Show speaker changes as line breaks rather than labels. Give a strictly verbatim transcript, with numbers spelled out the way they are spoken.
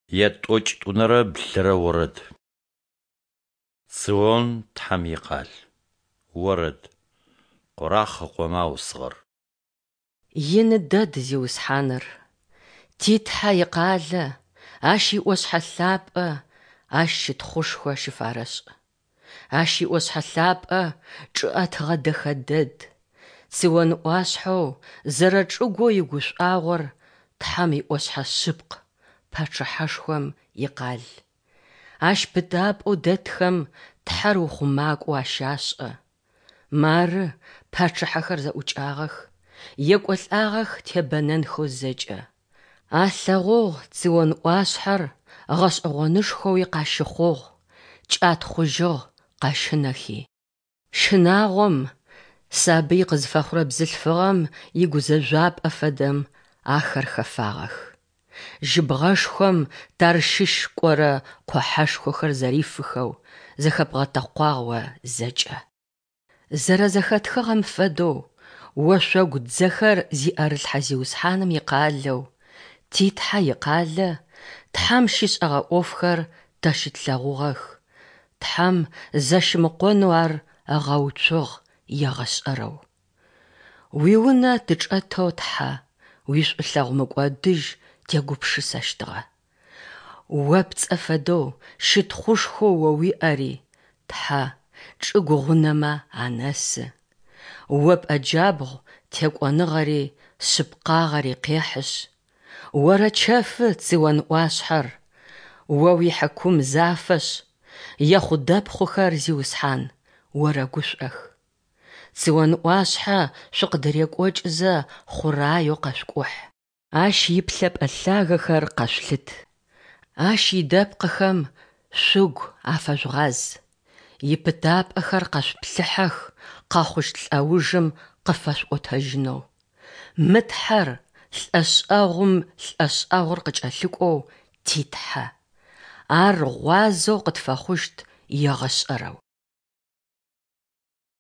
Ятӏокӏитӏунэрэ блырэ орэд. Цион Тхьэм икъал. Орэд. Къорахъ ыкъомэ аусыгъэр.
Ины дэд Зиусхьаныр, ти Тхьэ икъалэ, Ащ иӏошъхьэ лъапӏэ Ащ щытхъушхо щыфарэшӏ. Ащ иӏошъхьэ лъапӏэ чӏы ӏэтыгъэ дэхэ дэд. Цион ӏуашъхьэу зэрэчӏыгоу игушӏуагъор Тхьэм иӏошъхьэ шъыпкъ, Пачъыхьэшхом икъал. Ащ пытапӏэу дэтхэм Тхьэр ухъумакӏоу ащашӏэ. Мары, пачъыхьэхэр зэӏукӏагъэх, Екӏолӏагъэх тебэнэнхэу зэкӏэ. Алъэгъугъ Цион ӏуашъхьэр гъэшӏэгъонышхоуи къащыхъугъ, кӏатхъужьыгъ къэщынэхи. Щынагъом, сабый къызфэхъурэ бзылъфыгъэм игузэжъуапӏэ фэдэм ахэр хэфагъэх. Жьыбгъэшхом Тарщыщ кӏорэ къухьэшхохэр зэрифыхэу, зэхэбгъэтэкъуагъ о зэкӏэ. Зэрэзэхэтхыгъэм фэдэу, ошъогу дзэхэр зиӏэрылъхьэ Зиусхьаным икъалэу, ти Тхьэ икъалэ, Тхьэм щишӏэгъэ ӏофхэр тэ щытлъэгъугъэх, Тхьэм зэщымыкъонэу ар ыгъэуцугъ егъэшӏэрэу. Уиунэ тычӏэтэу, Тхьэ, уишӏулъэгъу мыкӏодыжь тегупшысэщтыгъэ. О пцӏэ фэдэу, щытхъушхоу о уиӏэри, Тхьэ, чӏыгу гъунэмэ анэсы. О пӏэджабгъу текӏоныгъэри шъыпкъагъэри къехьышъ, орэчэфы Цион ӏуашъхьэр, О уихьыкум зафэшъ, Ехъудэпхъухэр, Зиусхьан, орэгушӏох. Цион ӏуашъхьэ шъукъыдырекӏокӏызэ хъураеу къэшъукӏухь. Ащ иплъэпӏэ лъагэхэр къэшъулъыт. Ащ идэпкъыхэм шъугу афэжъугъаз. Ипытапӏэхэр къэшъуплъыхьэх къэхъущт лӏэужым къыфэшъуӏотэжьынэу. Мы Тхьэр лӏэшӏэгъум лӏэшӏэгъур къыкӏэлъыкӏоу ти Тхьэ. Ар гъуазэу къытфэхъущт егъэшӏэрэу.